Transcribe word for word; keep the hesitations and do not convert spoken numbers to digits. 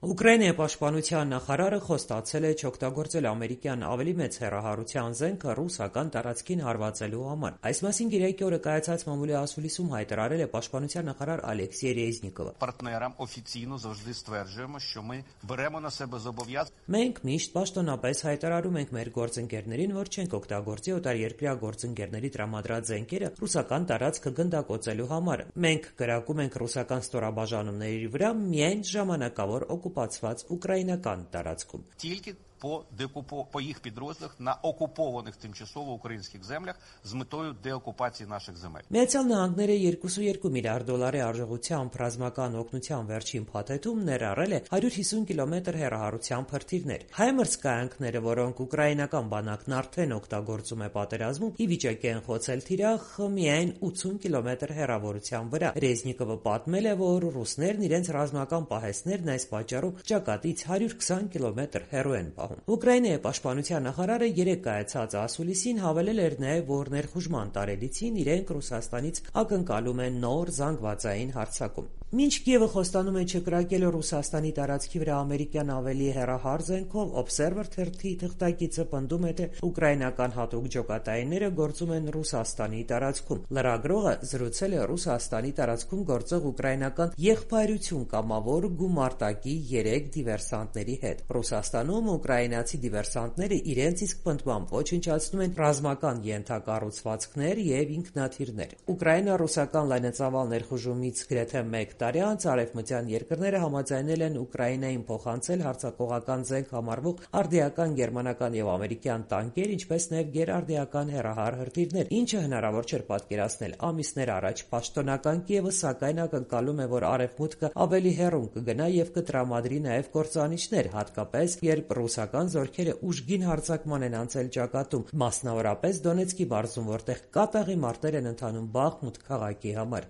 Ուկրաինայի պաշտպանության նախարարը խոստացել է չօգտագործել ամերիկյան ավելի մեծ հեռահարության զենքը ռուսական տարածքին հարվածելու համար։ Այս մասին գիրակի օրը կայացած մամուլի ասուլիսում հայտարարել է պաշտպանության նախարար Ալեքսեյ Ռեզնիկովը։ Партнерам офіційно завжди стверджуємо, що ми беремо на себе зобов'язання. Մենք միշտ պաշտոնապես հայտարարում ենք մեր գործընկերներին, որ չենք օգտագործի օտարերկրյա գործընկերների տրամադրած զենքերը ռուսական տարածքը գնդակոծելու համար։ Մենք կրակում ենք ռուսական ստորաբաժանումների վրա միայն ժամանակավոր օկուպացված ուկրաինական տարածքում։ Тільки по деокупо по їх підрозділах на окупованих тимчасово українських землях з метою деокупації наших земель. Միացյալ Նահանգները երկու կoma երկու միլիարդ դոլարի արժողությամբ ռազմական օգնության վերջին փաթեթում ներառել է հարյուր հիսուն կիլոմետր հեռահարության փրթիրներ։ Հայմերս կայանքները, որոնք ուկրաինական բանակն արդեն օգտագործում է պատերազմում, ի վիճակի են խոցել թիրախ միայն ութսուն կիլոմետր հեռավորության վրա։ Ռեզնիկովը պատմել է, որ ռուսներն իրենց ռազմական պահեստներն այս պատճառով ճակատից հարյուր քսան կիլոմետր հեռու են պահում։ Ուկրաինայի պաշտպանության նախարարը երեկ կայացած ասուլիսին հավելել էր նաև, որ ներխուժման տարելիցին իրենք Ռուսաստանից ակնկալում են նոր զանգվածային հարձակում։ Մինչ Կիևը խոստանում է չկրակել Ռուսաստանի տարածքի վրա ամերիկյան ավելի հեռահար զենքով, Observer թերթի թղթակիցը պնդում է, թե ուկրաինական հատուկ ջոկատայինները գործում են Ռուսաստանի տարածքում։ Լրագրողը զրուցել է Ռուսաստանի տարածքում գործող ուկրաինական եղբայրություն կամավոր գումարտակի երեք դիվերսանտների հետ։ Ռուսաստանում ուկրաինացի դիվերսանտները իրենց իսկ պնդմամբ ոչնչացնում են ռազմական ենթակառուցվածքներ եւ ինքնաթիռներ։ Ուկրաինա-ռուսական լայնածավալ ներխուժումից գրեթե մեկ տարի անց արևմտյան երկրները համաձայնել են Ուկրաինային փոխանցել հարձակողական զենք համարվող արդիական գերմանական եւ ամերիկյան տանկեր, ինչպես նաեւ գերարդիական հեռահար հրթիռներ, ինչը հնարավոր չէր պատկերացնել ամիսներ առաջ։ Պաշտոնական Կիևը սակայն ակնկալում է, որ արևմուտքը ավելի հեռուն կգնա եւ կտրամադրի նաեւ կործանիչներ, հատկապես երբ ռուսական զորքերը ուժգին հարձակման են անցել ճակատում, մասնավորապես Դոնեցկի մարզում, որտեղ կատաղի մարտեր են ընթանում Բախմուտ քաղաքի համար։